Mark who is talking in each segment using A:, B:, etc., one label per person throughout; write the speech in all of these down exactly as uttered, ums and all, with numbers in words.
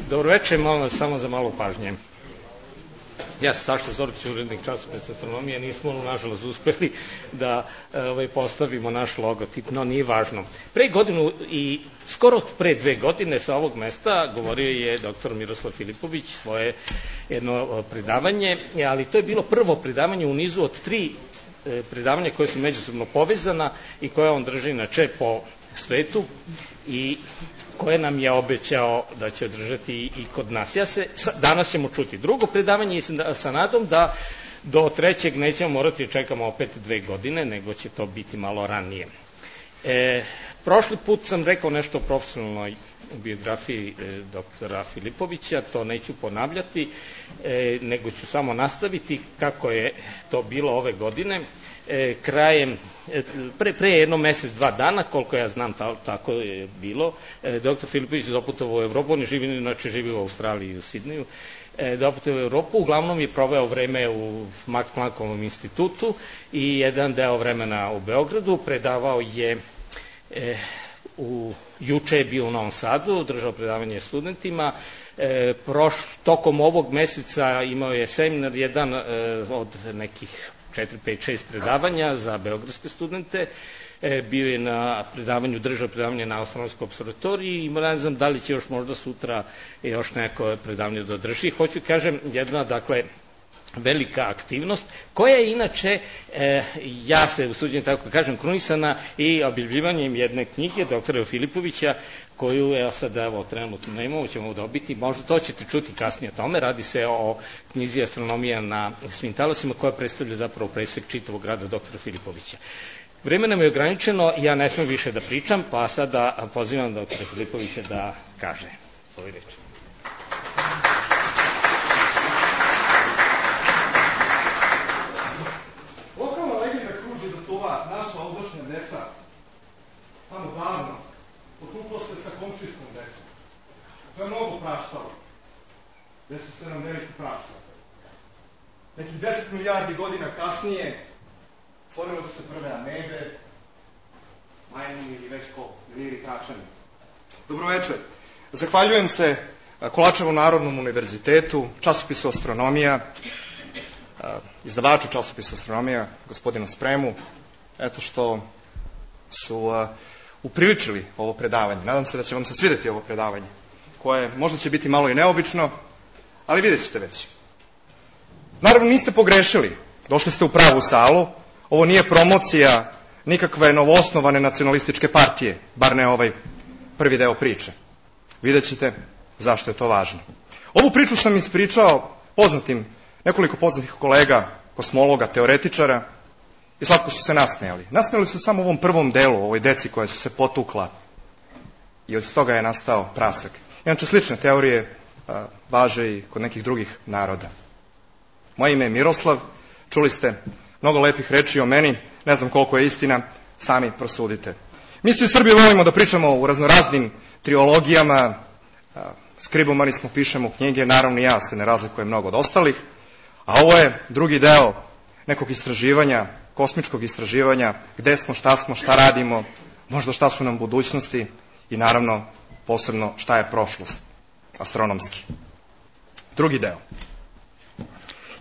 A: Dobro večer, molim vas samo za malo pažnje. Ja sam Saša Zorkić, urednik časopisa Astronomije, nismo nažalost uspeli da ovaj, postavimo naš logotip, no nije važno. Pre godinu i skoro pre dve godine sa ovog mesta govorio je doktor Miroslav Filipović svoje jedno predavanje, ali to je bilo prvo predavanje u nizu od tri predavanja koje su međusobno povezana i koje on drži inače po svetu i koje nam je obećao da će održati i kod nas. Ja se, danas ćemo čuti drugo predavanje i sa nadom da do trećeg nećemo morati da čekamo opet dve godine, nego će to biti malo ranije. E, prošli put sam rekao nešto o profesionalnoj biografiji e, doktora Filipovića, to neću ponavljati, e, nego ću samo nastaviti kako je to bilo ove godine. E, krajem, pre, pre jedno mesec, dva dana, koliko ja znam, ta, tako je bilo, e, doktor Filipović je doputovao u Evropu, on je živi, inače živi u Australiji i u Sidneju, e, doputovao u Evropu, uglavnom je proveo vreme u Max Planckovom institutu i jedan deo vremena u Beogradu, predavao je, e, u, juče je bio u Novom Sadu, držao predavanje studentima, e, proš, tokom ovog meseca imao je seminar jedan e, od nekih četiri, pet, šest predavanja za beogradske studente, e, bio je na predavanju, držao predavanje na Astronomskoj observatoriji i ne znam da li će još možda sutra još neko predavanje da održi. Hoću kažem, jedna, dakle, velika aktivnost, koja je inače, e, ja se usuđujem tako kažem, krunisana i objavljivanjem jedne knjige doktora Filipovića, koju, evo sad, evo, trenutno ne imamo, ćemo dobiti, možda to ćete čuti kasnije o tome, radi se o knjizi Astronomija na svim talasima, koja predstavlja zapravo presek čitavog rada doktora Filipovića. Vreme nam je ograničeno, ja ne smem više da pričam, pa sada pozivam doktora Filipovića da kaže svoju reč.
B: Lokalna legenda kruži da su ova naša ovdašnja deca tamo davno potuklo se sa komšijskom decom. To je mnogo praštalo. Gde su se nam veliki praksa. Nekih deset milijardi godina kasnije stvorile su se prve amebe, majmuni ili već ko, liri tračani. Dobroveče. Zahvaljujem se Kolačevom Narodnom univerzitetu, časopisu Astronomija, izdavaču časopisa Astronomija, gospodinu Spremu, eto što su upriličili ovo predavanje. Nadam se da će vam se svideti ovo predavanje, koje možda će biti malo i neobično, ali vidjet ćete već. Naravno, niste pogrešili. Došli ste u pravu salu. Ovo nije promocija nikakve novoosnovane nacionalističke partije, bar ne ovaj prvi deo priče. Vidjet ćete zašto je to važno. Ovu priču sam ispričao poznatim, nekoliko poznatih kolega, kosmologa, teoretičara, i slatko su se nasmejali. Nasmejali su samo u ovom prvom delu, ovoj deci koja su se potukla i od toga je nastao prasak. Inače, slične teorije a, važe i kod nekih drugih naroda. Moje ime je Miroslav, čuli ste mnogo lepih reči o meni, ne znam koliko je istina, sami prosudite. Mi svi Srbi volimo da pričamo u raznoraznim triologijama, a, skribomani smo, pišemo knjige, naravno ja se ne razlikujem mnogo od ostalih, a ovo je drugi deo nekog istraživanja, kosmičkog istraživanja, gde smo, šta smo, šta radimo, možda šta su nam budućnosti i naravno posebno šta je prošlost, astronomski. Drugi deo.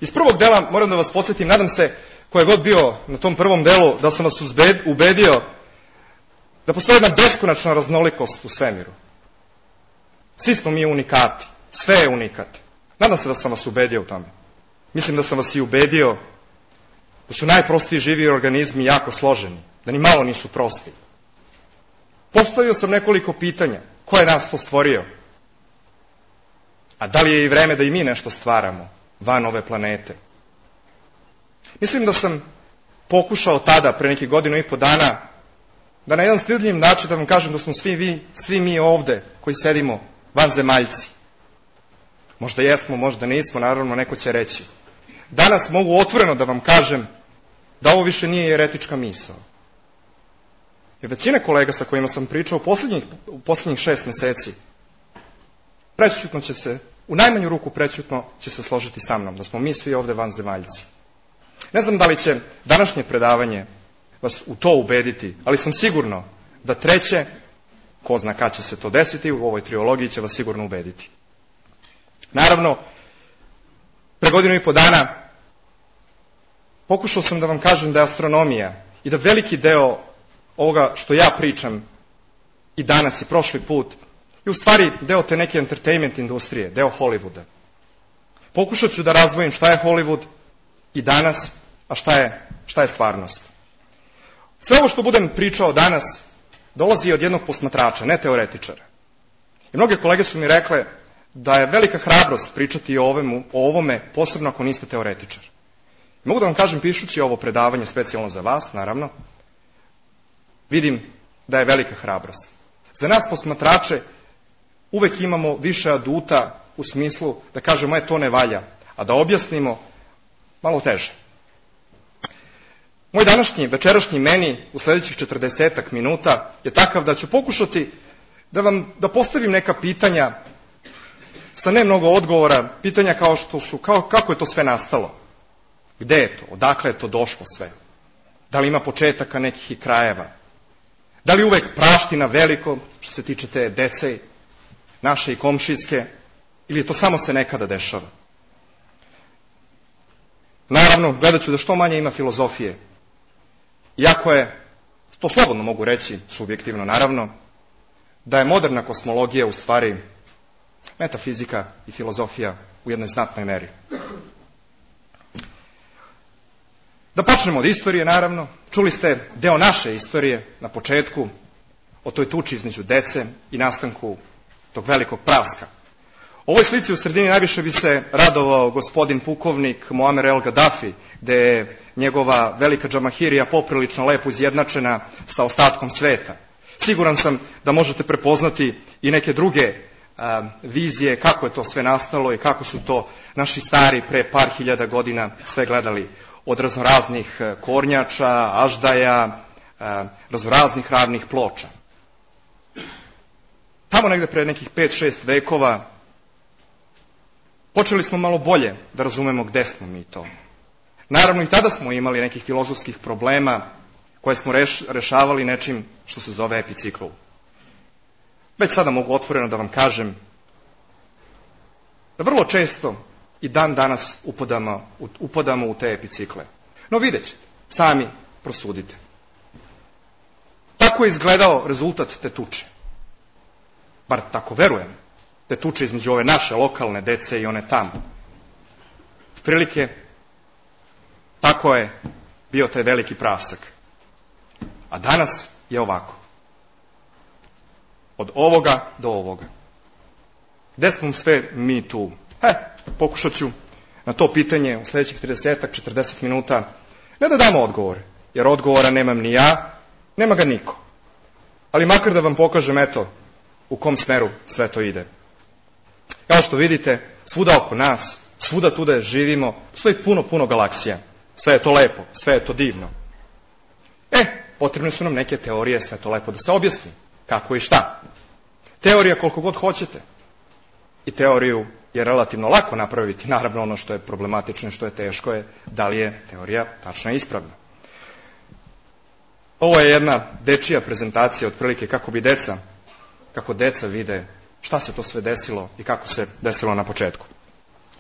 B: Iz prvog dela moram da vas podsjetim, nadam se ko je god bio na tom prvom delu, da sam vas ubedio da postoji jedna beskonačna raznolikost u svemiru. Svi smo mi unikati, sve je unikat. Nadam se da sam vas ubedio u tome. Mislim da sam vas i ubedio da su najprostiji živi organizmi jako složeni, da ni malo nisu prosti. Postavio sam nekoliko pitanja. Ko je nas to stvorio? A da li je i vreme da i mi nešto stvaramo van ove planete? Mislim da sam pokušao tada, pre nekih godinu i po dana, da na jedan stidljiv način da vam kažem da smo svi, vi, svi mi ovde koji sedimo vanzemaljci. Možda jesmo, možda nismo, naravno neko će reći. Danas mogu otvoreno da vam kažem da ovo više nije jeretička misao. Jer većina kolega sa kojima sam pričao u poslednjih, u poslednjih šest meseci prećutno će se, u najmanju ruku prećutno će se složiti sa mnom, da smo mi svi ovde vanzemaljci. Ne znam da li će današnje predavanje vas u to ubediti, ali sam sigurno da treće, ko zna kad će se to desiti, u ovoj triologiji će vas sigurno ubediti. Naravno, pre godinu i po dana pokušao sam da vam kažem da je astronomija i da veliki deo ovoga što ja pričam i danas i prošli put je u stvari deo te neke entertainment industrije, deo Hollywooda. Pokušat ću da razdvojim šta je Hollywood i danas, a šta je, šta je stvarnost. Sve ovo što budem pričao danas dolazi od jednog posmatrača, ne teoretičara. I mnoge kolege su mi rekle da je velika hrabrost pričati o, ovemu, o ovome, posebno ako niste teoretičar. I mogu da vam kažem, pišući ovo predavanje specijalno za vas, naravno, vidim da je velika hrabrost. Za nas posmatrače uvek imamo više aduta u smislu da kažemo, e, to ne valja, a da objasnimo malo teže. Moj današnji, večerašnji meni u sledećih četrdesetak minuta je takav da ću pokušati da vam, da postavim neka pitanja sa ne mnogo odgovora, pitanja kao što su, kao, kako je to sve nastalo, gde je to, odakle je to došlo sve, da li ima početaka nekih i krajeva, da li uvek praština veliko što se tiče te dece, naše i komšijske, ili je to samo se nekada dešava. Naravno, gledat ću da što manje ima filozofije. Iako je, to slobodno mogu reći, subjektivno naravno, da je moderna kosmologija u stvari metafizika i filozofija u jednoj znatnoj meri. Da počnemo od istorije, naravno. Čuli ste deo naše istorije na početku, o toj tuči između dece i nastanku tog velikog praska. U ovoj slici u sredini najviše bi se radovao gospodin pukovnik Muamer el Gaddafi, gde je njegova velika džamahirija poprilično lepo izjednačena sa ostatkom sveta. Siguran sam da možete prepoznati i neke druge a, vizije kako je to sve nastalo i kako su to naši stari pre par hiljada godina sve gledali, od raznoraznih kornjača, aždaja, a, raznoraznih ravnih ploča. Tamo negde pre nekih pet šest vekova počeli smo malo bolje da razumemo gde smo mi to. Naravno i tada smo imali nekih filozofskih problema koje smo reš, rešavali nečim što se zove epicikl. Već sada mogu otvoreno da vam kažem da vrlo često i dan danas upadamo, upadamo u te epicikle. No vidjet ćete, sami prosudite. Tako je izgledao rezultat te tuče. Bar tako verujem. Te tuče između ove naše lokalne dece i one tamo. Prilike, tako je bio taj veliki prasak. A danas je ovako. Od ovoga do ovoga. Gde smo sve mi tu? He, pokušat ću na to pitanje u sledećih trideset četrdeset minuta ne da damo odgovor, jer odgovora nemam ni ja, nema ga niko. Ali makar da vam pokažem, eto, u kom smeru sve to ide. Kao što vidite, svuda oko nas, svuda tu da živimo, stoji puno, puno galaksija. Sve je to lepo, sve je to divno. E, potrebne su nam neke teorije, sve to lepo da se objasni. Kako i šta. Teorija koliko god hoćete. I teoriju je relativno lako napraviti. Naravno, ono što je problematično i što je teško je da li je teorija tačna i ispravna. Ovo je jedna dečija prezentacija, otprilike kako bi deca, kako deca vide šta se to sve desilo i kako se desilo na početku.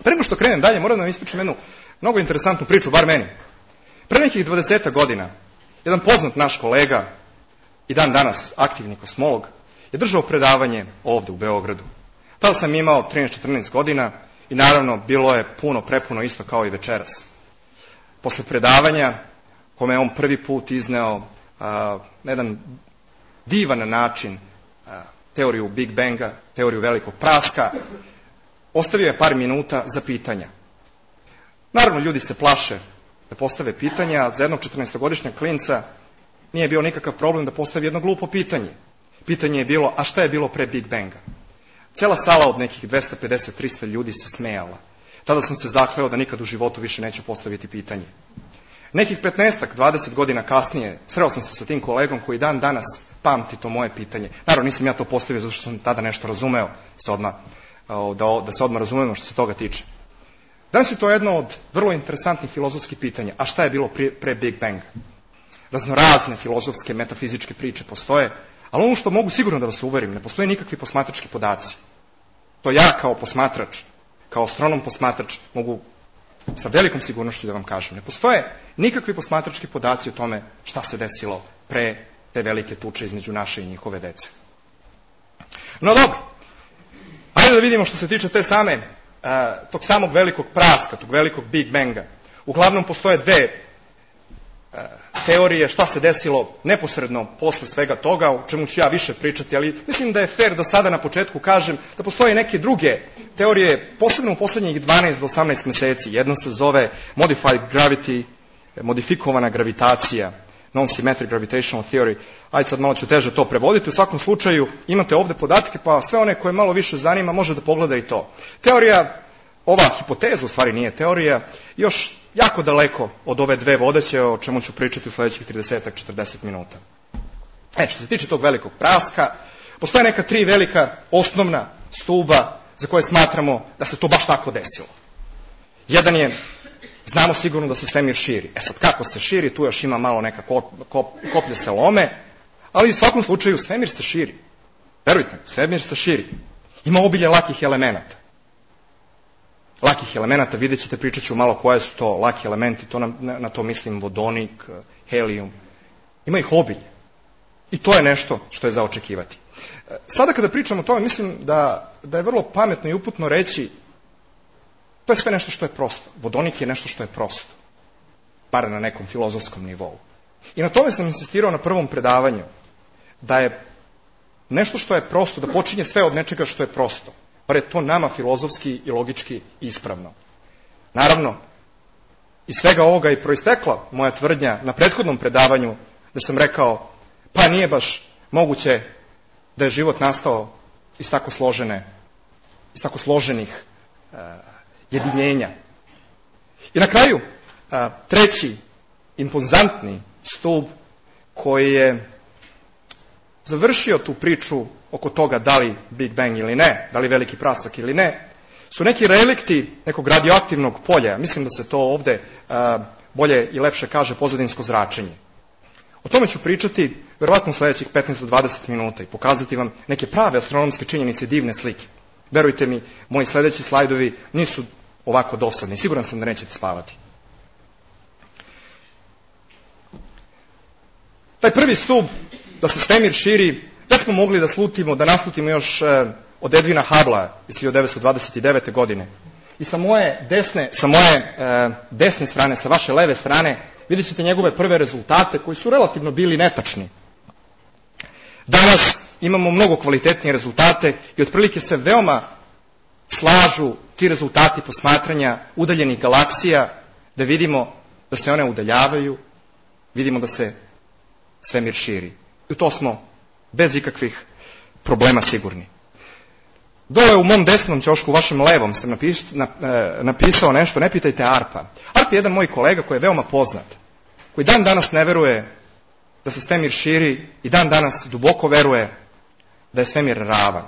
B: Pre nego što krenem dalje, moram da vam ispričam jednu mnogo interesantnu priču, bar meni. Pre nekih dvadeset godina, jedan poznat naš kolega i dan danas aktivni kosmolog je držao predavanje ovde u Beogradu. Tada sam imao trinaest četrnaest godina i naravno bilo je puno, prepuno isto kao i večeras. Posle predavanja, kome je on prvi put izneo a, na jedan divan način a, teoriju Big Banga, teoriju velikog praska, ostavio je par minuta za pitanja. Naravno, ljudi se plaše da postave pitanja, za jednog četrnaestogodišnjeg klinca nije bio nikakav problem da postavi jedno glupo pitanje. Pitanje je bilo, a šta je bilo pre Big Banga? Cela sala od nekih dvesta pedeset do trista ljudi se smejala. Tada sam se zakleo da nikad u životu više neću postaviti pitanje. Nekih petnaest dvadeset godina kasnije sreo sam se sa tim kolegom koji dan danas pamti to moje pitanje. Naravno, nisam ja to postavio zato što sam tada nešto razumeo, se odmah, da, da se odmah razumemo što se toga tiče. Danas je to jedno od vrlo interesantnih filozofskih pitanja. A šta je bilo pre, pre Big Banga? Raznorazne filozofske, metafizičke priče postoje, ali ono što mogu sigurno da vas uverim, ne postoje nikakvi posmatrački podaci. To ja kao posmatrač kao astronom posmatrač mogu sa velikom sigurnošću da vam kažem. Ne postoje nikakvi posmatrački podaci o tome šta se desilo pre te velike tuče između naše i njihove dece. No dobro, ajde da vidimo što se tiče te same, uh, tog samog velikog praska, tog velikog Big Banga. Uglavnom postoje dve uh, teorije šta se desilo neposredno posle svega toga, o čemu ću ja više pričati, ali mislim da je fair da sada na početku kažem da postoje neke druge teorije, posebno u poslednjih dvanaest do osamnaest meseci. Jedna se zove Modified Gravity, modifikovana gravitacija, Non-Symmetric Gravitational Theory. Ajde sad malo ću teže to prevoditi. U svakom slučaju imate ovde podatke, pa sve one koje malo više zanima može da pogleda i to. Teorija, ova hipoteza u stvari nije teorija, još jako daleko od ove dve vodeće, o čemu ću pričati u sledećih trideset do četrdeset minuta. E, što se tiče tog velikog praska, postoje neka tri velika osnovna stuba za koje smatramo da se to baš tako desilo. Jedan je, znamo sigurno da se svemir širi. E sad, kako se širi, tu još ima malo neka kop, kop, koplje se lome, ali u svakom slučaju svemir se širi. Verujte, svemir se širi. Ima obilje lakih elemenata. Lakih elemenata, vidjet ćete, pričat ću malo koje su to laki elementi, to na, na to mislim vodonik, helijum. Ima ih obilje. I to je nešto što je za očekivati. Sada kada pričam o tome, mislim da, da je vrlo pametno i uputno reći to je sve nešto što je prosto. Vodonik je nešto što je prosto. Bar na nekom filozofskom nivou. I na tome sam insistirao na prvom predavanju. Da je nešto što je prosto, da počinje sve od nečega što je prosto. Bar je to nama filozofski i logički ispravno. Naravno, iz svega ovoga je proistekla moja tvrdnja na prethodnom predavanju da sam rekao, pa nije baš moguće da je život nastao iz tako složene, iz tako složenih uh, jedinjenja. I na kraju, uh, treći impozantni stub koji je završio tu priču oko toga da li Big Bang ili ne, da li veliki prasak ili ne, su neki relikti nekog radioaktivnog polja. Mislim da se to ovde uh, bolje i lepše kaže pozadinsko zračenje. O tome ću pričati verovatno u sledećih petnaest do dvadeset minuta i pokazati vam neke prave astronomske činjenice i divne slike. Verujte mi, moji sledeći slajdovi nisu ovako dosadni. Siguran sam da nećete spavati. Taj prvi stub, da se svemir širi, da smo mogli da slutimo, da naslutimo još eh, od Edwina Hubbla iz hiljadu devetsto dvadeset devete. godine. I sa moje desne, sa moje eh, desne strane, sa vaše leve strane, vidjet ćete njegove prve rezultate koji su relativno bili netačni. Danas imamo mnogo kvalitetnije rezultate i otprilike se veoma slažu ti rezultati posmatranja udaljenih galaksija, da vidimo da se one udaljavaju, vidimo da se svemir širi. I to smo bez ikakvih problema sigurni. Dole u mom desnom ćošku, u vašem levom, sam napis, na, e, napisao nešto, ne pitajte Arpa. Arp je jedan moj kolega koji je veoma poznat, koji dan danas ne veruje da se svemir širi i dan danas duboko veruje da je svemir ravan.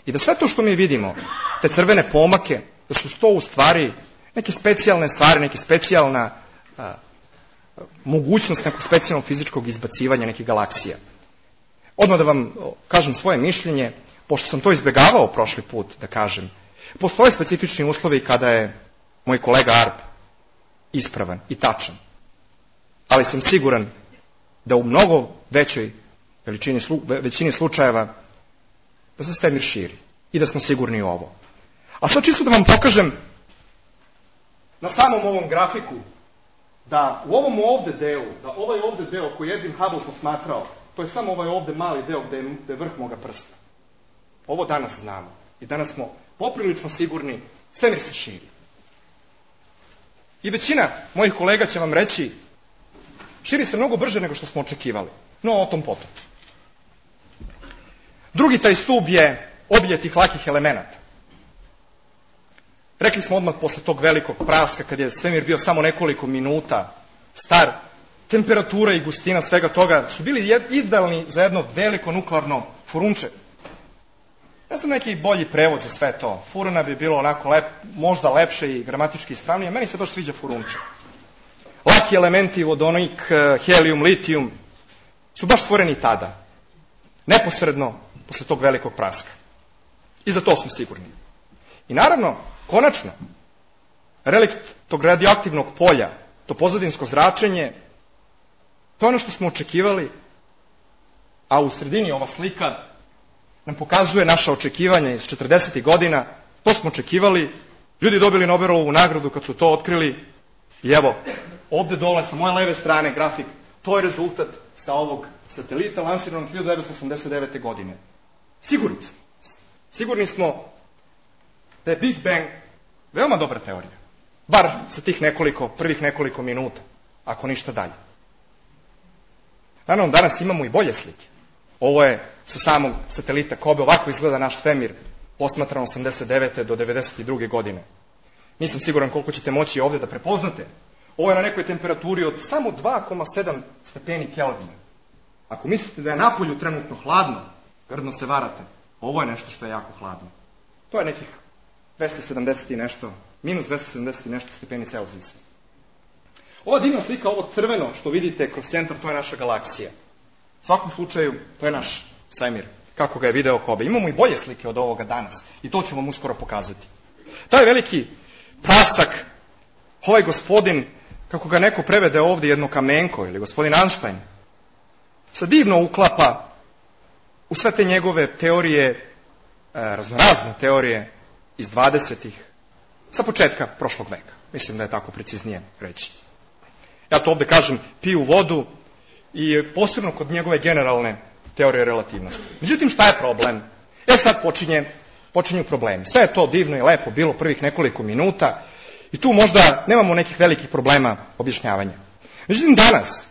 B: I da sve to što mi vidimo, te crvene pomake, da su to u stvari neke specijalne stvari, neke specijalna a, mogućnost nekog specijalnog fizičkog izbacivanja nekih galaksija. Odmah da vam kažem svoje mišljenje, pošto sam to izbegavao prošli put, da kažem, postoje specifični uslovi kada je moj kolega Arp ispravan i tačan. Ali sam siguran da u mnogo većoj veličini, većini slučajeva da se svemir širi i da smo sigurni u ovo. A sad čisto da vam pokažem na samom ovom grafiku da u ovom ovde delu, da ovaj ovde deo koji je Edwin Hubble posmatrao, to je samo ovaj ovde mali deo gde je, gde je vrh moga prsta. Ovo danas znamo. I danas smo poprilično sigurni, svemir se širi. I većina mojih kolega će vam reći, širi se mnogo brže nego što smo očekivali. No, o tom potom. Drugi taj stub je obilje tih lakih elemenata. Rekli smo odmah posle tog velikog praska, kad je svemir bio samo nekoliko minuta star, temperatura i gustina svega toga su bili idealni za jedno veliko nuklearno furunče. Ne znam neki bolji prevod za sve to. Furuna bi bilo onako lep, možda lepše i gramatički ispravnije. Meni se baš sviđa furunče. Laki elementi, vodonik, helijum, litijum, su baš stvoreni tada. Neposredno posle tog velikog praska. I za to smo sigurni. I naravno, konačno, relikt tog radioaktivnog polja, to pozadinsko zračenje, to je ono što smo očekivali, a u sredini ova slika nam pokazuje naša očekivanja iz četrdesetih godina. To smo očekivali, ljudi dobili Nobelovu nagradu kad su to otkrili i evo, ovde dole sa moje leve strane grafik, to je rezultat sa ovog satelita lansiranog hiljadu devetsto osamdeset devete. godine. Sigurni smo. Sigurni smo da je Big Bang veoma dobra teorija. Bar sa tih nekoliko, prvih nekoliko minuta, ako ništa dalje. Naravno, danas imamo i bolje slike. Ovo je sa samog satelita Kobe, ovako izgleda naš svemir, posmatran osamdeset devete do devedeset druge. godine. Nisam siguran koliko ćete moći ovde da prepoznate. Ovo je na nekoj temperaturi od samo dva zarez sedam stepeni Kelvina. Ako mislite da je napolju trenutno hladno, grdno se varate. Ovo je nešto što je jako hladno. To je nekih dvesta sedamdeset i nešto, minus dvesta sedamdeset i nešto stepeni Celzijusa. Ova divna slika, ovo crveno što vidite kroz centar, to je naša galaksija. U svakom slučaju, to je naš svemir, kako ga je video Kobe. Imamo i bolje slike od ovoga danas i to ću vam uskoro pokazati. Taj veliki prasak, ovaj gospodin, kako ga neko prevede ovde, jedno kamenko, ili gospodin Einstein, se divno uklapa u sve te njegove teorije, raznorazne teorije iz dvadesetih, sa početka prošlog veka. Mislim da je tako preciznije reći. Ja to ovde kažem, piju vodu i posebno kod njegove generalne teorije relativnosti. Međutim, šta je problem? E sad počinje, počinju problemi. Sve je to divno i lepo bilo prvih nekoliko minuta i tu možda nemamo nekih velikih problema objašnjavanja. Međutim, danas,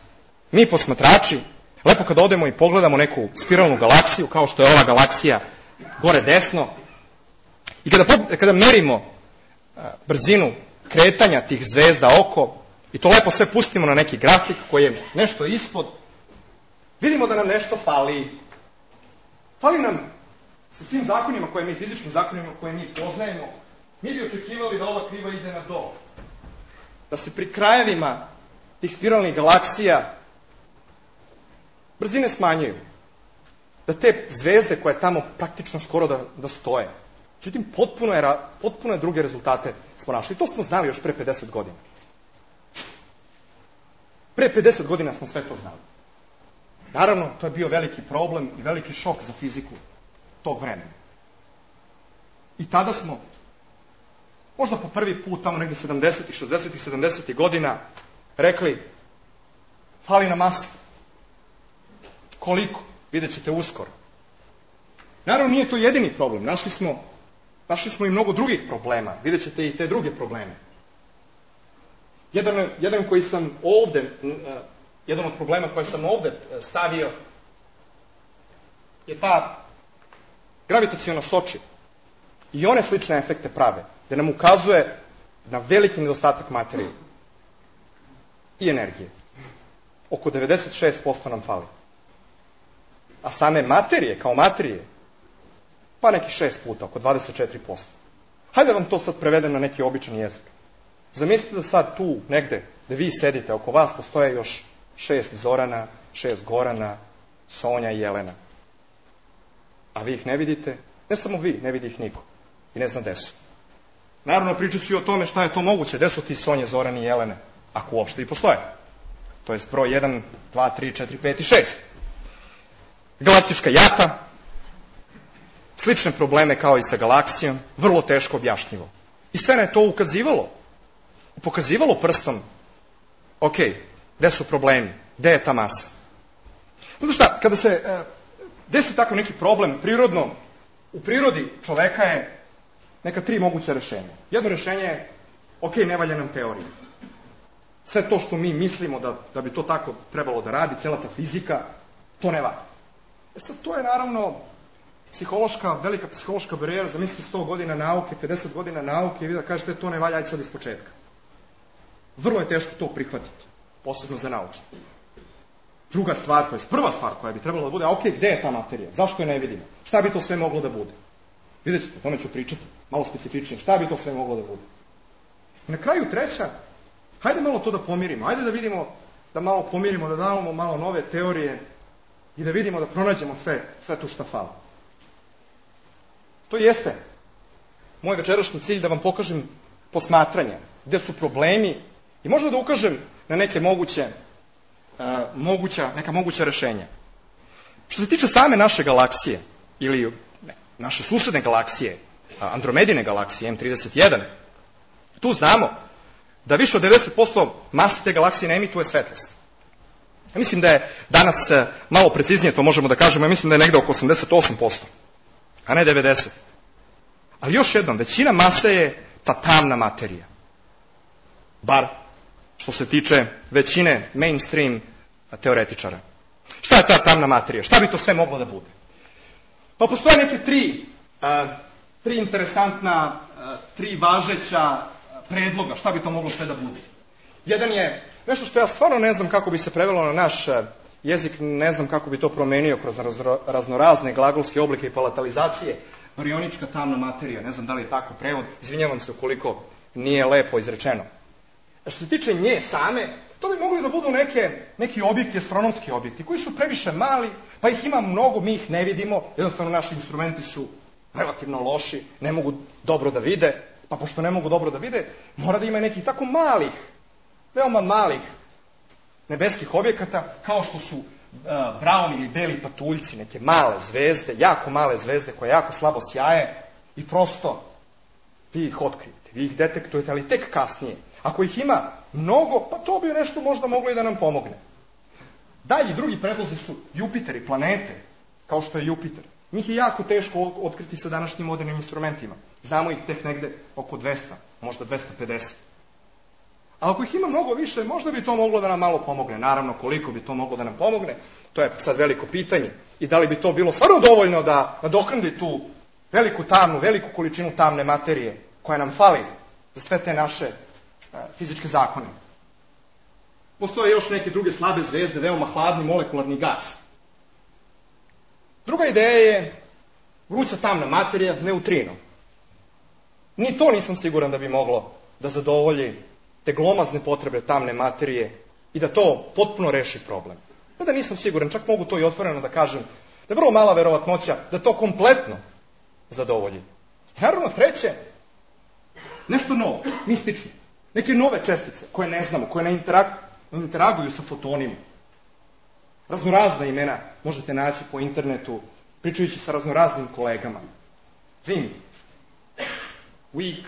B: mi posmatrači, lepo kada odemo i pogledamo neku spiralnu galaksiju, kao što je ova galaksija gore desno, i kada, kada merimo brzinu kretanja tih zvezda oko, i to lepo sve pustimo na neki grafik koji je nešto ispod, vidimo da nam nešto fali. Fali nam sa svim zakonima koje mi, fizičkim zakonima koje mi poznajemo, mi bi očekivali da ova kriva ide na dole. Da se pri krajevima tih spiralnih galaksija brzine smanjuju. Da te zvezde koje tamo praktično skoro da, da stoje. Međutim, potpuno je, potpuno je druge rezultate smo našli. I to smo znali još pre pedeset godina. Pre pedeset godina smo sve to znali. Naravno, to je bio veliki problem i veliki šok za fiziku tog vremena. I tada smo, možda po prvi put, tamo negde sedamdesetih, šezdesetih, sedamdesetih godina, rekli, fali nam masa. Koliko? Vidjet ćete uskoro. Naravno, nije to jedini problem. Našli smo, našli smo i mnogo drugih problema. Vidjet ćete i te druge probleme. Jedan, jedan koji sam ovde, jedan od problema koje sam ovde stavio je ta gravitaciona sočiva. I one slične efekte prave, gde nam ukazuje na veliki nedostatak materije i energije. Oko devedeset šest posto nam fali. A same materije, kao materije, pa neki šest puta, oko dvadeset četiri posto. Hajde vam to sad prevedem na neki običan jezik. Zamislite da sad tu, negde, da vi sedite, oko vas postoje još šest Zorana, šest Gorana, Sonja i Jelena. A vi ih ne vidite, ne samo vi, ne vidi ih niko. I ne zna gde su. Naravno, pričat ću i o tome šta je to moguće, gde su ti Sonje, Zorani i Jelene, ako uopšte i postoje. To je broj jedan, dva, tri, četiri, pet i šest. Galaktička jata, slične probleme kao i sa galaksijom, vrlo teško objašnjivo. I sve na je to ukazivalo. Pokazivalo prstom, ok, gde su problemi, gde je ta masa. Zato šta, kada se e, desi tako neki problem, prirodno, u prirodi čoveka je neka tri moguća rešenja. Jedno rešenje je, ok, ne valja nam teorija. Sve to što mi mislimo da, da bi to tako trebalo da radi, cela ta fizika, to ne valja. E sad, to je naravno psihološka, velika psihološka barijera, zamislite sto godina nauke, pedeset godina nauke i vi da kažete to ne valja, ajde sad iz početka. Vrlo je teško to prihvatiti, posebno za naučnike. Druga stvar, to je prva stvar koja bi trebala da bude, a ok, gde je ta materija? Zašto je ne vidimo? Šta bi to sve moglo da bude? Vidjet ćete, o tome ću pričati, malo specifičnije, šta bi to sve moglo da bude? I na kraju treća, hajde malo to da pomirimo, hajde da vidimo, da malo pomirimo, da damo malo nove teorije i da vidimo, da pronađemo sve, sve tu šta fala. To jeste moj večerašnji cilj da vam pokažem posmatranja, gde su problemi i možda da ukažem na neke moguće, uh, moguća, neka moguća rešenja. Što se tiče same naše galaksije, ili ne, naše susedne galaksije, Andromedine galaksije, M trideset jedan, tu znamo da više od devedeset posto mase te galaksije ne emituje svetlost. Ja mislim da je danas malo preciznije, to možemo da kažemo, ja mislim da je negde oko osamdeset osam posto, a ne devedeset posto. Ali još jednom, većina mase je ta tamna materija. Bar što se tiče većine mainstream teoretičara. Šta je ta tamna materija? Šta bi to sve moglo da bude? Pa postoje neke tri, uh, tri interesantna, uh, tri važeća predloga, šta bi to moglo sve da bude. Jedan je nešto što ja stvarno ne znam kako bi se prevelo na naš jezik, ne znam kako bi to promenio kroz raznorazne glagolske oblike i palatalizacije, barionička tamna materija, ne znam da li je tako prevod, izvinjavam se ukoliko nije lepo izrečeno. A što se tiče nje same, to bi mogli da budu neke, neki objekti, astronomski objekti, koji su previše mali, pa ih ima mnogo, mi ih ne vidimo, jednostavno naši instrumenti su relativno loši, ne mogu dobro da vide, pa pošto ne mogu dobro da vide, mora da ima nekih tako malih, veoma malih nebeskih objekata, kao što su uh, brauni ili beli patuljci, neke male zvezde, jako male zvezde koje jako slabo sjaje i prosto vi ih otkrijete, vi ih detektujete, ali tek kasnije. Ako ih ima mnogo, pa to bi nešto možda moglo i da nam pomogne. Dalje, drugi predlozi su Jupiter i planete, kao što je Jupiter. Njih je jako teško otkriti sa današnjim modernim instrumentima. Znamo ih tek negde oko dvesta, možda dvesta pedeset. A ako ih ima mnogo više, možda bi to moglo da nam malo pomogne. Naravno, koliko bi to moglo da nam pomogne, to je sad veliko pitanje. I da li bi to bilo stvarno dovoljno da nadoknadi tu veliku tamnu, veliku količinu tamne materije koja nam fali za sve te naše uh, fizičke zakone. Postoje još neke druge slabe zvezde, veoma hladni molekularni gas. Druga ideja je vruća tamna materija, neutrino. Ni to nisam siguran da bi moglo da zadovolji te glomazne potrebe tamne materije i da to potpuno reši problem. Da nisam siguran, čak mogu to i otvoreno da kažem, da je vrlo mala verovatnoća da to kompletno zadovolji. Naravno, treće, nešto novo, mistično. Neke nove čestice koje ne znamo, koje ne, interag, ne interaguju sa fotonima. Raznorazna imena možete naći po internetu, pričajući sa raznoraznim kolegama. V I M, Weak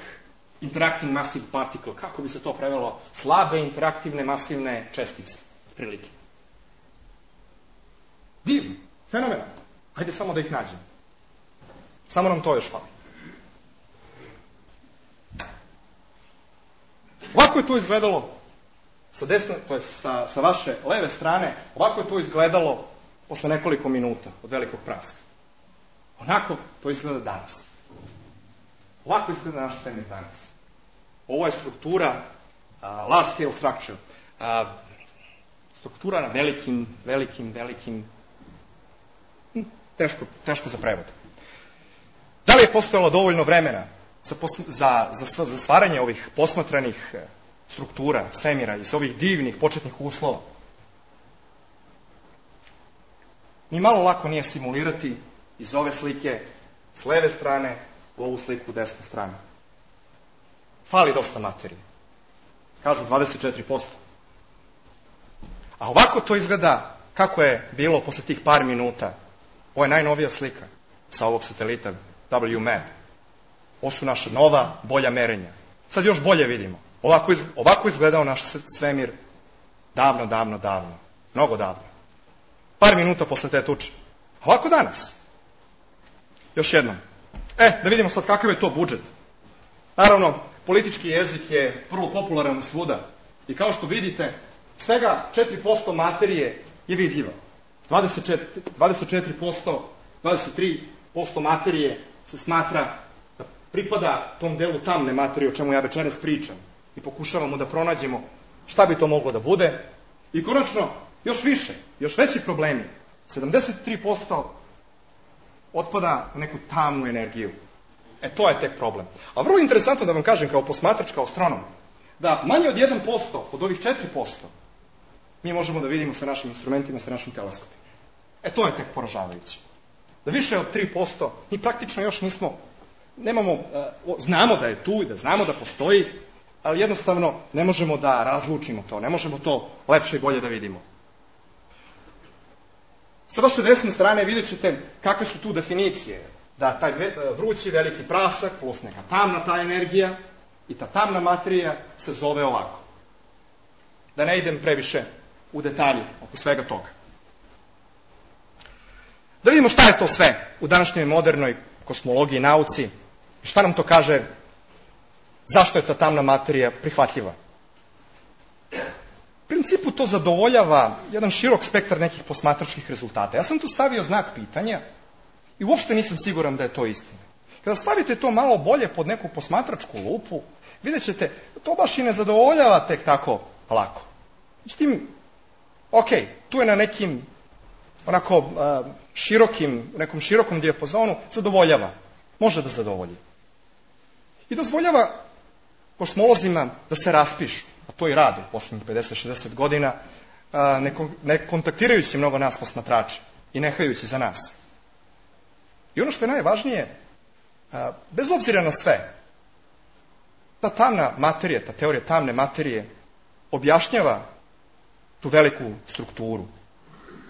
B: Interacting Massive Particle, kako bi se to prevelo? Slabe interaktivne masivne čestice, prilike. Divno, fenomenalno. Hajde samo da ih nađemo. Samo nam to još fali. Ovako je to izgledalo sa desne, to je sa, sa vaše leve strane, ovako je to izgledalo posle nekoliko minuta od velikog praska. Onako to izgleda danas. Ovako izgleda naš svemir danas. Ovo je struktura, uh, large scale structure, uh, struktura na velikim, velikim, velikim, hm, teško, teško za prevod. Da li je postojalo dovoljno vremena za, za, za, za stvaranje ovih posmatranih struktura svemira iz ovih divnih početnih uslova? Ni malo lako nije simulirati iz ove slike s leve strane u ovu sliku u desnu stranu. Fali dosta materije. Kažu dvadeset četiri posto. A ovako to izgleda kako je bilo posle tih par minuta. Ovo je najnovija slika sa ovog satelita W M A P. Ovo su naša nova, bolja merenja. Sad još bolje vidimo. Ovako, iz, ovako izgledao naš svemir davno, davno, davno. Mnogo davno. Par minuta posle te tuče. Ovako danas. Još jednom. E, da vidimo sad kakav je to budžet. Naravno, politički jezik je vrlo popularan svuda. I kao što vidite, svega četiri posto materije je vidljiva. dvadeset četiri, dvadeset četiri posto, dvadeset tri posto materije se smatra da pripada tom delu tamne materije o čemu ja večeras pričam. I pokušavamo da pronađemo šta bi to moglo da bude. I konačno, još više, još veći problemi. sedamdeset tri posto otpada na neku tamnu energiju. E, to je tek problem. A vrlo interesantno da vam kažem kao posmatrač, kao astronom, da manje od jedan posto od ovih četiri posto mi možemo da vidimo sa našim instrumentima, sa našim teleskopima. E, to je tek poražavajuće. Da više od tri posto mi praktično još nismo, nemamo, znamo da je tu i da znamo da postoji, ali jednostavno ne možemo da razlučimo to, ne možemo to lepše i bolje da vidimo. Sa vaše desne strane vidjet ćete kakve su tu definicije. Da taj vrući veliki prasak plus neka tamna ta energija i ta tamna materija se zove ovako. Da ne idem previše u detalje oko svega toga. Da vidimo šta je to sve u današnjoj modernoj kosmologiji i nauci i šta nam to kaže, zašto je ta tamna materija prihvatljiva. U principu to zadovoljava jedan širok spektar nekih posmatračkih rezultata. Ja sam tu stavio znak pitanja i uopšte nisam siguran da je to istina. Kada stavite to malo bolje pod neku posmatračku lupu, vidjet ćete da to baš i ne zadovoljava tek tako lako. Međutim, ok, tu je na nekim onako uh, širokim, nekom širokom dijapazonu zadovoljava, može da zadovolji. I dozvoljava kosmolozima da se raspišu, a to i rade u poslednjih pedeset šezdeset godina, uh, ne, ne kontaktirajući mnogo nas posmatrača i nehajući za nas. I ono što je najvažnije, uh, bez obzira na sve, ta tamna materija, ta teorija tamne materije objašnjava tu veliku strukturu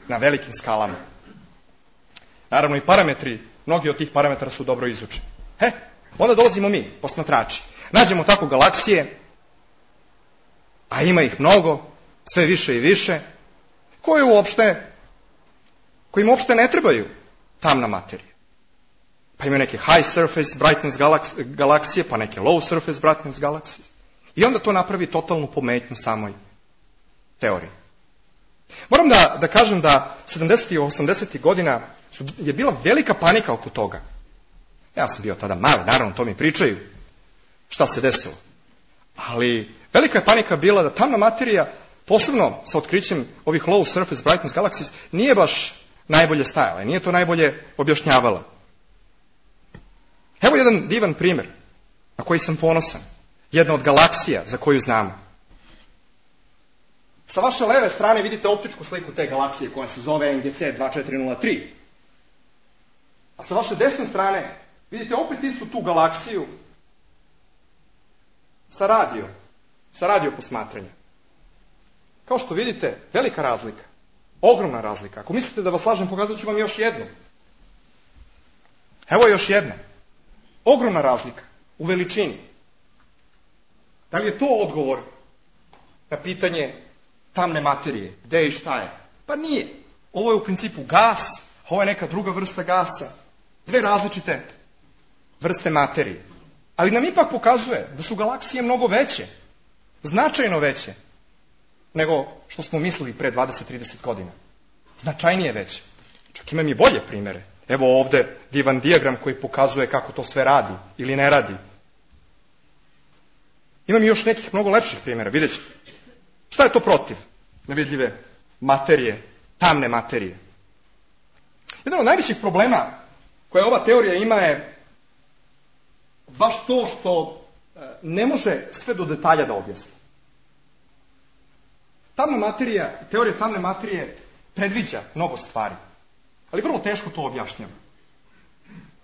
B: na velikim skalama. Naravno i parametri, mnogi od tih parametara su dobro izučeni. He, onda dolazimo mi, posmatrači. Nađemo tako galaksije, a ima ih mnogo, sve više i više, koje uopšte, kojim uopšte ne trebaju tamna materija. Pa imaju neke high surface brightness galaksije, pa neke low surface brightness galaksije. I onda to napravi totalnu pometnju samoj teoriji. Moram da, da kažem da sedamdesetih i osamdesetih godina su, je bila velika panika oko toga. Ja sam bio tada mali, naravno, to mi pričaju šta se desilo. Ali velika je panika bila da tamna materija, posebno sa otkrićem ovih low surface brightness galaxies, nije baš najbolje stajala, nije to najbolje objašnjavala. Evo jedan divan primjer na koji sam ponosan. Jedna od galaksija za koju znamo. Sa vaše leve strane vidite optičku sliku te galaksije koja se zove N G C dva četiri nula tri. A sa vaše desne strane vidite opet istu tu galaksiju sa radio, sa radio posmatranja. Kao što vidite, velika razlika, ogromna razlika. Ako mislite da vas lažem, pokazat ću vam još jednu. Evo još jedna. Ogromna razlika u veličini. Da li je to odgovor na pitanje tamne materije, gde i šta je? Pa nije. Ovo je u principu gas, ovo je neka druga vrsta gasa. Dve različite vrste materije. Ali nam ipak pokazuje da su galaksije mnogo veće, značajno veće, nego što smo mislili pre dvadeset do trideset godina. Značajnije veće. Čak imam i bolje primere. Evo ovde divan dijagram koji pokazuje kako to sve radi ili ne radi. Imam i još nekih mnogo lepših primjera, vidjet ćete. Šta je to protiv nevidljive materije, tamne materije? Jedan od najvećih problema koje ova teorija ima je baš to što ne može sve do detalja da objasni. Tamna materija, teorija tamne materije predviđa mnogo stvari, ali vrlo teško to objašnjava.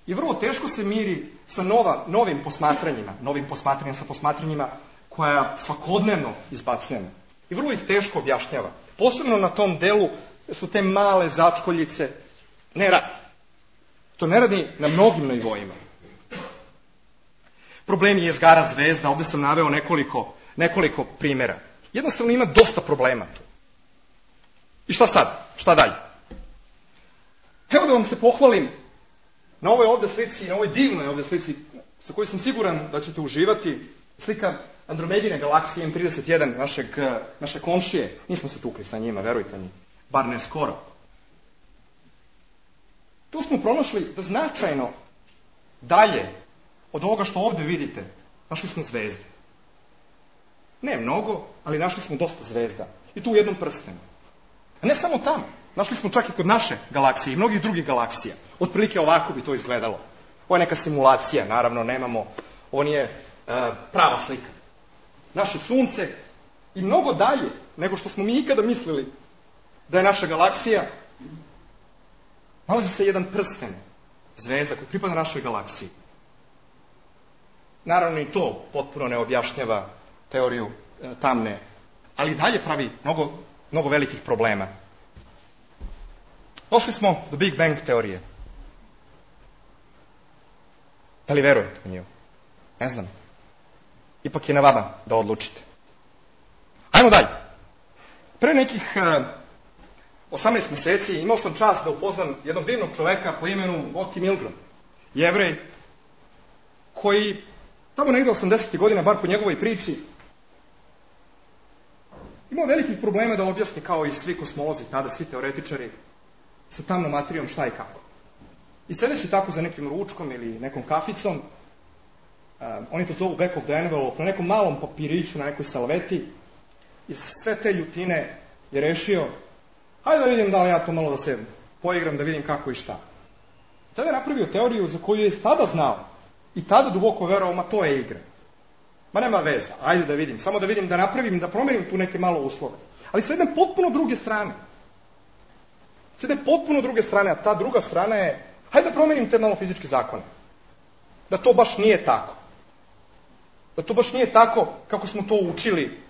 B: I vrlo teško se miri sa nova, novim posmatranjima, novim posmatranjima sa posmatranjima koja svakodnevno izbacujemo. I vrlo ih teško objašnjava. Posebno na tom delu su te male začkoljice. Ne radi. To ne radi na mnogim nivoima. Problem je jezgara zvezda. Ovde sam naveo nekoliko, nekoliko primjera. Jednostavno ima dosta problema tu. I šta sad? Šta dalje? Evo da vam se pohvalim na ovoj ovde slici, na ovoj divnoj ovde slici, sa kojoj sam siguran da ćete uživati, slika Andromedine galaksije M trideset jedan, našeg, naše komšije. Nismo se tukli sa njima, verujte mi, bar ne skoro. Tu smo pronašli da značajno dalje od ovoga što ovde vidite, našli smo zvezde. Ne mnogo, ali našli smo dosta zvezda. I tu u jednom prstenu. A ne samo tamo. Našli smo čak i kod naše galaksije i mnogih drugih galaksija. Otprilike ovako bi to izgledalo. Ovo je neka simulacija, naravno, nemamo, ovo nije uh, prava slika. Naše sunce i mnogo dalje nego što smo mi ikada mislili da je naša galaksija, nalazi se jedan prsten zvezda koji pripada našoj galaksiji. naravno i to potpuno ne objašnjava teoriju e, tamne, ali dalje pravi mnogo, mnogo velikih problema. Došli smo do Big Bang teorije. Da li verujete u nju? Ne znam. Ipak je na vama da odlučite. Ajmo dalje. Pre nekih uh, osamnaest meseci imao sam čast da upoznam jednog divnog čoveka po imenu Oti Milgram, Jevrej, koji tamo negde osamdesetih godina, bar po njegovoj priči, imao velikih problema da objasni, kao i svi kosmolozi tada, svi teoretičari, sa tamnom materijom šta i kako. I sedeći tako za nekim ručkom ili nekom kaficom, um, oni to zovu back of the envelope, na nekom malom papiriću, na nekoj salveti, iz sve te ljutine je rešio, hajde da vidim da li ja to malo da se poigram, da vidim kako i šta. Tada je napravio teoriju za koju je tada znao i tada duboko verovao, ma to je igra. Ma nema veza, ajde da vidim, samo da vidim, da napravim, da promenim tu neke malo uslove. Ali sa jedne potpuno druge strane. Sa jedne potpuno druge strane, a ta druga strana je, hajde da promenim te malo fizičke zakone. Da to baš nije tako. Da to baš nije tako kako smo to učili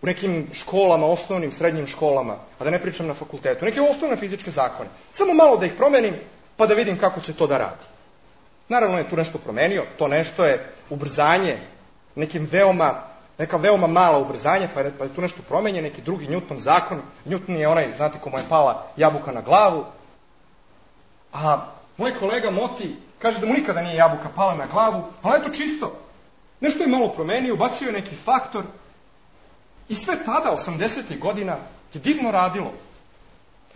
B: u nekim školama, osnovnim, srednjim školama, a da ne pričam na fakultetu. Neke osnovne fizičke zakone. Samo malo da ih promenim, pa da vidim kako će to da radi. Naravno je tu nešto promenio, to nešto je ubrzanje, nekim veoma, neka veoma mala ubrzanje, pa je, pa je tu nešto promenje, neki drugi Newton zakon. Newton je onaj, znate, komu je pala jabuka na glavu. A moj kolega Moti kaže da mu nikada nije jabuka pala na glavu, ali je to čisto. Nešto je malo promenio, ubacio je neki faktor i sve tada, osamdesetih godina, je divno radilo.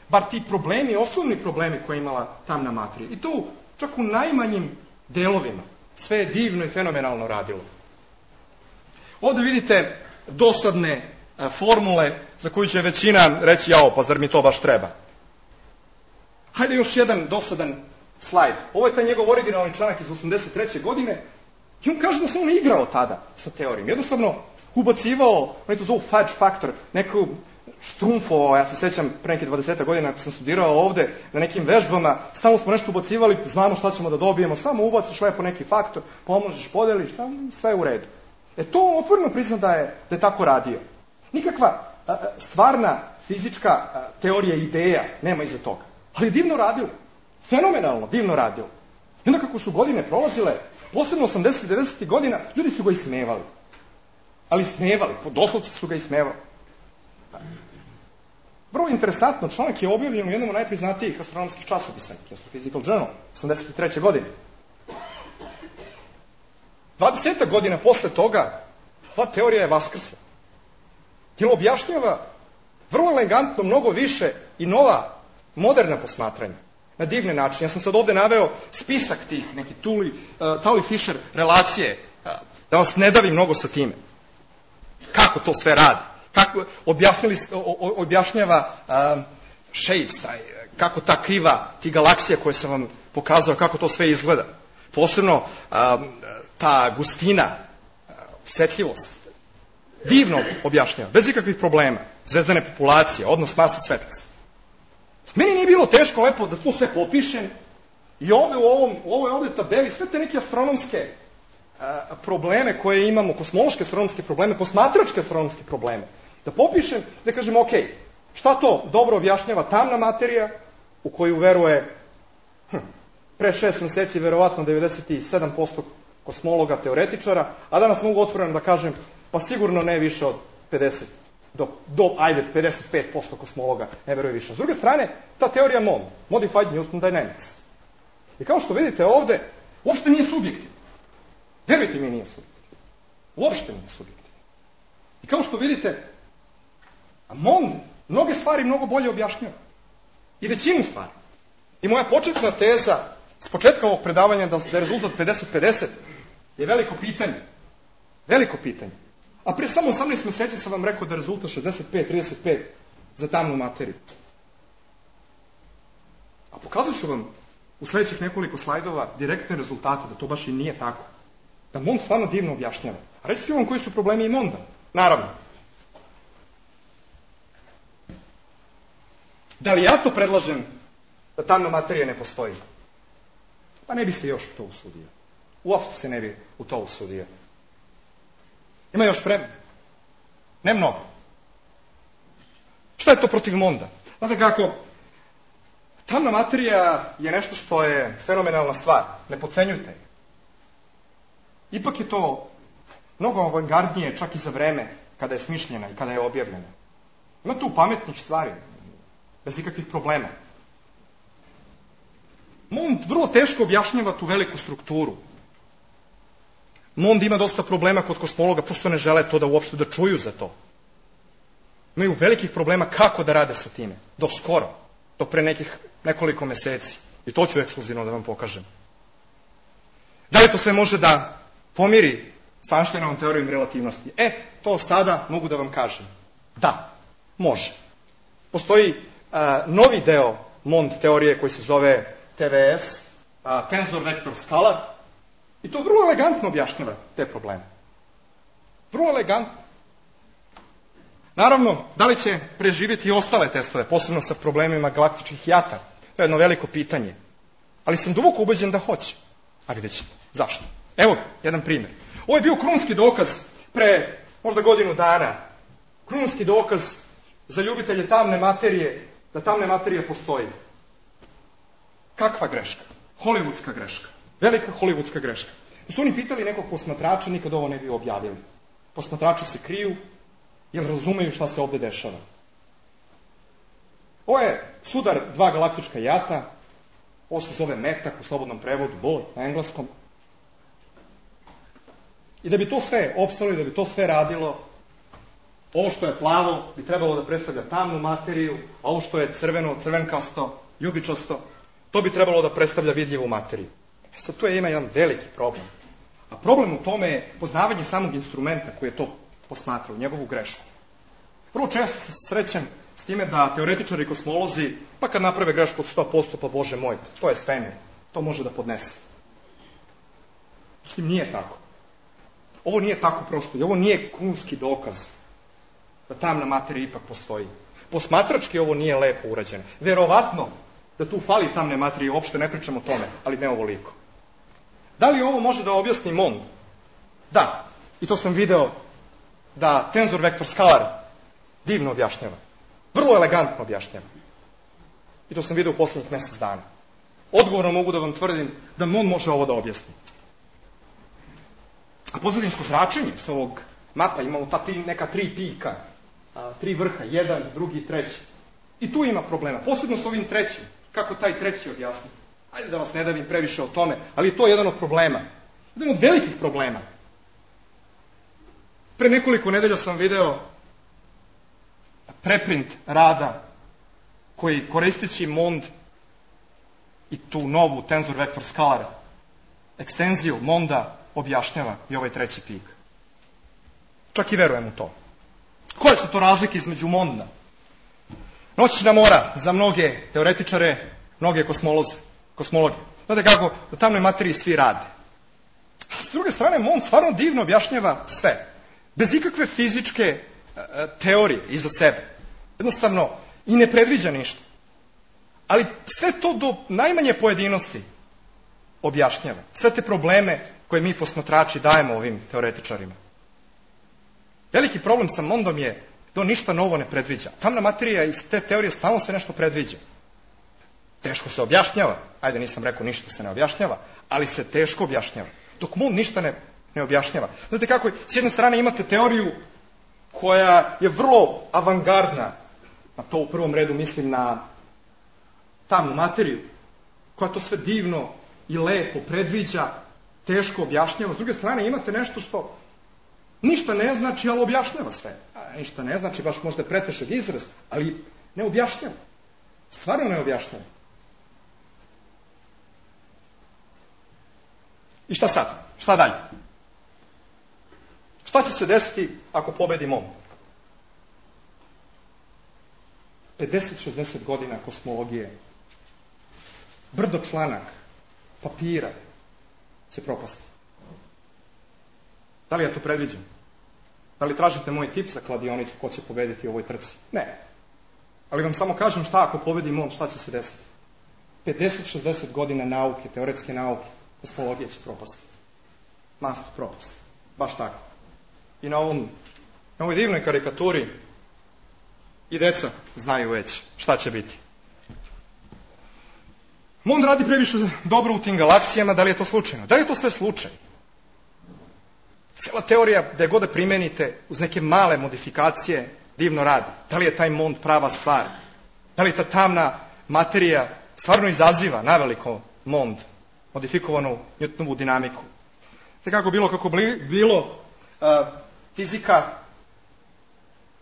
B: Bar ti problemi, osnovni problemi koje je imala tamna materija. I to čak u najmanjim delovima. Sve je divno i fenomenalno radilo. Ovde vidite dosadne a, formule za koju će većina reći, jao, pa zar mi to baš treba? Hajde još jedan dosadan slajd. Ovo je taj njegov originalni članak iz osamdeset treće godine i on kaže da se on igrao tada sa teorijom. Jednostavno ubacivao, oni to zovu fudge faktor, neku štrumfovao, ja se sećam pre neke dvadeset godina ako sam studirao ovde, na nekim vežbama, stalno smo nešto ubacivali, znamo šta ćemo da dobijemo, samo ubaciš lepo neki faktor, pomnožiš, podeliš, sve je u redu. E to on otvoreno prizna da je, da je tako radio. Nikakva a, stvarna fizička a, teorija ideja nema iza toga. Ali divno radilo. Fenomenalno divno radilo. I onda kako su godine prolazile, posebno osamdesetih devedesetih godina, ljudi su ga ismevali. Ali ismevali, doslovce su ga ismevali. Vrlo interesantno, članak je objavljen u jednom od najpriznatijih astronomskih časopisa, Astrophysical Journal, osamdeset treće godine. dvadeset godina posle toga, ova teorija je vaskrsla. Jer objašnjava vrlo elegantno, mnogo više i nova, moderna posmatranja. Na divne načine. Ja sam sad ovde naveo spisak tih, neki Tully, uh, Tully-Fisher relacije, uh, da vas ne davim mnogo sa time. Kako to sve radi? Kako objasnili, o, objašnjava um, shapes, taj, kako ta kriva, ti galaksija koje sam vam pokazao, kako to sve izgleda. Posebno um, ta gustina, uh, osetljivost. Divno objašnjava, bez ikakvih problema. Zvezdane populacije, odnos masa svetlosti. Meni nije bilo teško lepo da to sve popišem i ovde u, ovom, u ovoj ovde tabeli sve te neke astronomske uh, probleme koje imamo, kosmološke astronomske probleme, posmatračke astronomske probleme, da popišem, da kažem, ok, šta to dobro objašnjava tamna materija u koju veruje hm, pre šest meseci verovatno devedeset sedam posto kosmologa, teoretičara, a danas mogu otvoreno da kažem, pa sigurno ne više od pedeset, do, do ajde, pedeset pet posto kosmologa ne veruje više. S druge strane, ta teorija M O M, Modified Newton Dynamics. I kao što vidite ovde, uopšte nije subjektivno. Verujte mi, nije subjektivno. Uopšte nije subjektivno. I kao što vidite, M O M mnoge stvari mnogo bolje objašnjava. I većinu stvari. I moja početna teza s početka ovog predavanja da je rezultat pedeset pedeset je veliko pitanje. Veliko pitanje. A pre samo osamnaest meseci sam vam rekao da je rezultat šezdeset pet trideset pet za tamnu materiju. A pokazat ću vam u sledećih nekoliko slajdova direktne rezultate, da to baš i nije tako. Da M O M stvarno divno objašnjava. A reći ću vam koji su problemi i Monda. Naravno. Da li ja to predlažem da tamna materija ne postoji? Pa ne biste još to usudio. uopšte se ne bi u to usudio. Ima još vremena. Ne mnogo. Šta je to protiv Monda? Znate kako, tamna materija je nešto što je fenomenalna stvar. Ne podcenjujte je. Ipak je to mnogo avangardnije čak i za vreme kada je smišljena i kada je objavljena. Ima tu pametnih stvari, bez ikakvih problema. Mond vrlo teško objašnjava tu veliku strukturu. Mond ima dosta problema kod kosmologa, prosto ne žele to da uopšte da čuju za to. Imaju velikih problema kako da rade sa time. Do skoro, do pre nekih nekoliko meseci. I to ću ekskluzivno da vam pokažem. Da li to sve može da pomiri sa Einsteinovom teorijom relativnosti? E, to sada mogu da vam kažem. Da, može. Postoji a, novi deo Mond teorije koji se zove T V S, a, Tensor Vector Scalar, i to vrlo elegantno objašnjava te probleme. Vrlo elegantno. Naravno, da li će preživjeti i ostale testove, posebno sa problemima galaktičkih jata? To je jedno veliko pitanje. Ali sam duboko ubeđen da hoće. A vidjet ćete. Zašto? Evo jedan primjer. Ovo je bio krunski dokaz pre možda godinu dana. Krunski dokaz za ljubitelje tamne materije, da tamne materije postoji. Kakva greška? Hollywoodska greška. Velika hollywoodska greška. Da su oni pitali nekog posmatrača, nikad ovo ne bi objavili. Posmatrači se kriju, jer razumeju šta se ovde dešava. Ovo je sudar dva galaktička jata, ovo se zove metak u slobodnom prevodu, bullet na engleskom. I da bi to sve opstalo i da bi to sve radilo, ovo što je plavo bi trebalo da predstavlja tamnu materiju, a ovo što je crveno, crvenkasto, ljubičasto, to bi trebalo da predstavlja vidljivu materiju. E sad tu je ima jedan veliki problem. A problem u tome je poznavanje samog instrumenta koji je to posmatrao, njegovu grešku. Vrlo često se srećem s time da teoretičari i kosmolozi, pa kad naprave grešku od sto posto, pa Bože moj, to je svemir, to može da podnese. S tim nije tako. Ovo nije tako prosto i ovo nije krunski dokaz da tamna materija ipak postoji. Posmatrački ovo nije lepo urađeno. Verovatno da tu fali tamne materije, uopšte ne pričam o tome, ali ne ovoliko. Da li ovo može da objasni Mond? Da. I to sam video da Tensor Vector Scalar divno objašnjava. Vrlo elegantno objašnjava. I to sam video u poslednjih mesec dana. Odgovorno mogu da vam tvrdim da Mond može ovo da objasni. A pozadinsko zračenje s ovog mapa, imamo ta tri, neka tri pika, a, tri vrha, jedan, drugi, treći. I tu ima problema, posebno s ovim trećim. Kako taj treći objasniti? Ajde da vas ne davim previše o tome, ali to je jedan od problema. Jedan od velikih problema. Pre nekoliko nedelja sam video preprint rada koji koristeći Mond i tu novu Tensor Vector Scalar ekstenziju Monda objašnjava i ovaj treći pik. Čak i verujem u to. Koje su to razlike između Monda? Noćna mora za mnoge teoretičare, mnoge kosmoloze, kosmologe. Znate kako, u tamnoj materiji svi rade. A s druge strane, Mond stvarno divno objašnjava sve. Bez ikakve fizičke e, teorije iza sebe. Jednostavno, i ne predviđa ništa. Ali sve to do najmanje pojedinosti objašnjava. Sve te probleme koje mi posmatrači dajemo ovim teoretičarima. Veliki problem sa Mondom je da on ništa novo ne predviđa. Tamna materija iz te teorije stalno se nešto predviđa. Teško se objašnjava. Ajde, nisam rekao ništa se ne objašnjava, ali se teško objašnjava. Dok Mond ništa ne, ne objašnjava. Znate kako, s jedne strane imate teoriju koja je vrlo avangardna, a to u prvom redu mislim na tamnu materiju, koja to sve divno i lepo predviđa, teško objašnjava. S druge strane imate nešto što ništa ne znači, ali objašnjava sve. A, ništa ne znači, baš možda je pretešak izraz, ali ne objašnjava. Stvarno ne objašnjava. I šta sad? Šta dalje? Šta će se desiti ako pobedi Mond? pedeset šezdeset godina kosmologije, brdo članaka, papira će propasti. Da li ja to predviđam? Da li tražite moj tip za kladionicu ko će pobediti u ovoj trci? Ne. Ali vam samo kažem šta ako pobedi Mond, šta će se desiti. pedeset šezdeset godina nauke, teoretske nauke, kosmologije će propasti. mast propast. Baš tako. I na, ovom, na ovoj divnoj karikaturi i deca znaju već šta će biti. Mond radi previše dobro u tim galaksijama, da li je to slučajno? Da li je to sve slučaj? Cela teorija, da je god da primenite uz neke male modifikacije, divno radi. Da li je taj Mond prava stvar? Da li ta tamna materija stvarno izaziva naveliko Mond, modifikovanu Newtonovu dinamiku? Te kako bilo, kako bilo, uh, fizika,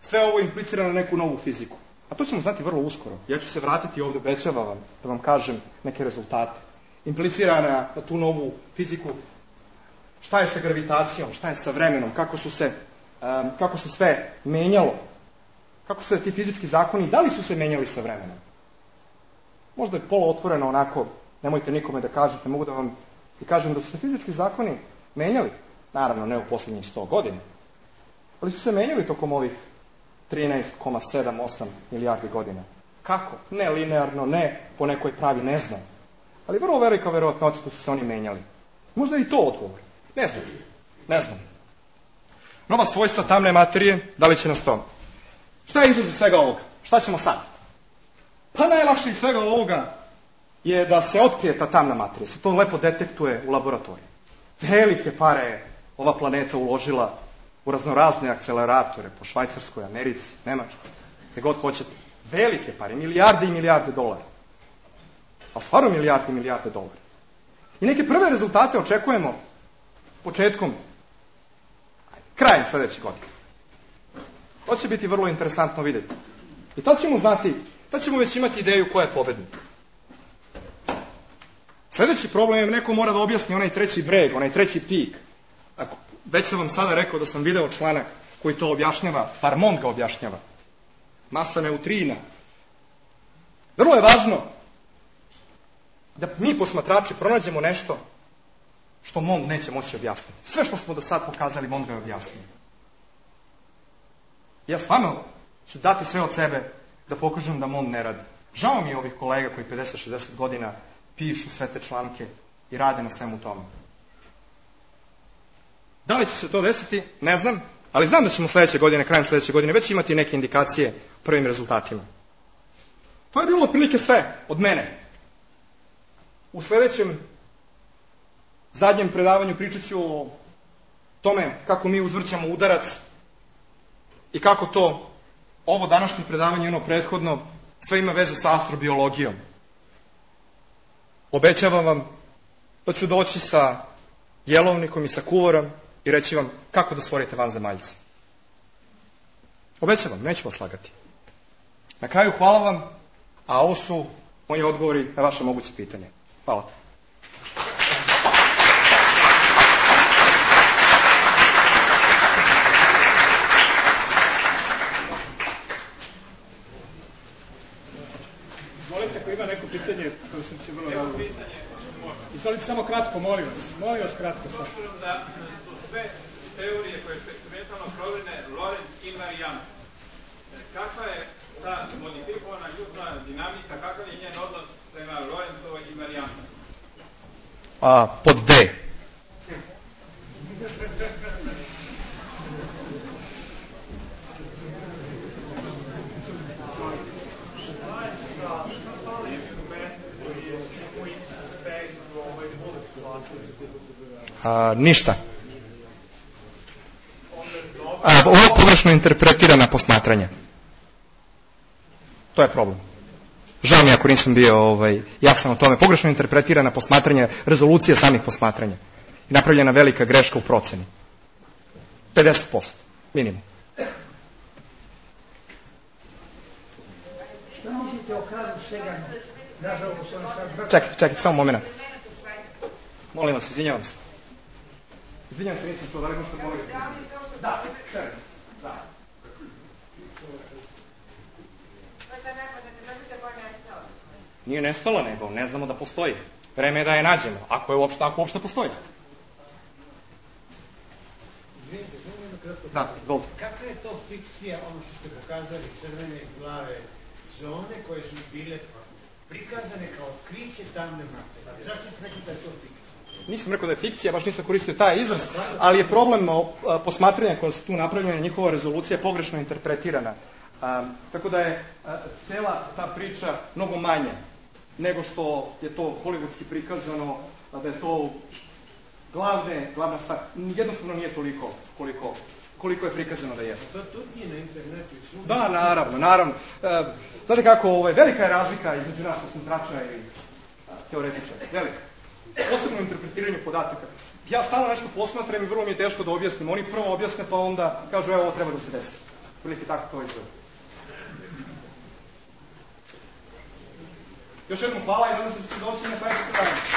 B: sve ovo implicira na neku novu fiziku. A to ćemo znati vrlo uskoro. Ja ću se vratiti ovdje, obećavam vam, da vam kažem neke rezultate. Implicira na, na tu novu fiziku. Šta je sa gravitacijom, šta je sa vremenom, kako su se, um, kako se sve menjalo, kako su se ti fizički zakoni, da li su se menjali sa vremenom? Možda je polo otvoreno onako, nemojte nikome da kažete, mogu da vam i kažem da su se fizički zakoni menjali, naravno ne u posljednjih sto godina, ali su se menjali tokom ovih trinaest zarez sedam osam milijardi godina. Kako? Ne linearno, ne po nekoj pravi, ne znam. Ali vrlo velika verovatnoća da su se oni menjali. Možda je i to odgovor. Ne znam. Ne znam. Nova svojstva tamne materije, da li će nas to? Šta je izraz svega ovoga? Šta ćemo sad? Pa najlakše iz svega ovoga je da se otkrije ta tamna materija. Se to lepo detektuje u laboratoriju. Velike pare je ova planeta uložila u raznorazne akceleratore po Švajcarskoj, Americi, Nemačkoj, gde god hoćete. Velike pare, milijarde i milijarde dolara. A stvarno milijarde i milijarde dolara. I neke prve rezultate očekujemo početkom, krajem sledeće godine. To će biti vrlo interesantno vidjeti. I tad ćemo znati, tad ćemo već imati ideju ko je pobednik. Sledeći problem je, neko mora da objasni onaj treći breg, onaj treći pik. Ako, već sam vam sada rekao da sam video članak koji to objašnjava, par Mond ga objašnjava. Masa neutrina. Vrlo je važno da mi posmatrači pronađemo nešto što Mond neće moći objasniti. Sve što smo do sad pokazali, Mond ga je objasnio. Ja stvarno ću dati sve od sebe da pokažem da Mond ne radi. Žao mi je ovih kolega koji pedeset šezdeset godina pišu sve te članke i rade na svemu tome. Da li će se to desiti? Ne znam, ali znam da ćemo sledeće godine, krajem sledeće godine, već imati neke indikacije u prvim rezultatima. To je bilo otprilike sve od mene. U sledećem zadnjem predavanju pričat ću o tome kako mi uzvrćamo udarac i kako to ovo današnje predavanje i ono prethodno sve ima veze sa astrobiologijom. Obećavam vam da ću doći sa jelovnikom i sa kuvorom i reći vam kako da stvorite vanzemaljce. Obećavam, neću vas lagati. Na kraju hvala vam, a ovo su moji odgovori na vaše moguće pitanje. Hvala.
C: Izvolite, ako ima neko pitanje, koje sam se vrlo rado. Izvolite samo kratko, molim vas. Molim vas kratko sad.
D: Obzirom da su sve teorije koje su eksperimentalno proverene Lorentz invariant, kakva je ta modifikovana ljudna dinamika, kakav je njen odnos prema Lorentzovoj invarijanti?
B: A, pod D. A, ništa. A, ovo pogrešno interpretirana posmatranja. To je problem. Žao mi ako nisam bio ovaj, jasan o tome. Pogrešno interpretirana posmatranja, rezolucija samih posmatranja. I napravljena velika greška u proceni. pedeset posto, minimum.
E: Šta mislite o Karlu Saganu? Nažalost, on sad...
B: Čekajte, čekajte, samo moment. Molim vas, izvinjavam se. Izvinjavam se, nisam to, da li možete molim? Da, sve. Da. Nije nestala, nego ne znamo da postoji. Vreme je da je nađemo, ako je uopšte, ako uopšte postoji.
E: Izvinite, samo jedno kratko.
B: Da, izvolite.
E: Kakva je to fikcija, ono što ste pokazali, crvene plave zone koje su bile prikazane kao otkriće tamne materije? Zašto ste rekli da je to fikcija?
B: nisam rekao da je fikcija, baš nisam koristio taj izraz, ali je problem posmatranja koja su tu napravljena, njihova rezolucija je pogrešno interpretirana. A, tako da je a, cela ta priča mnogo manja nego što je to hollywoodski prikazano, a da je to glavne, glavna stvar. Jednostavno nije toliko koliko, koliko je prikazano da jeste.
E: To tu nije na internetu.
B: Da, naravno, naravno. E, znate kako, ovaj, velika je razlika između nas posmatrača i teoretičara. Velika. Posebno u interpretiranju podataka. Ja stalno nešto posmatram i vrlo mi je teško da objasnim. Oni prvo objasne pa onda kažu evo ovo treba da se desi. Prilike tako to izgleda. Još jednom hvala i nadam se da se doći na sledeće predavanje.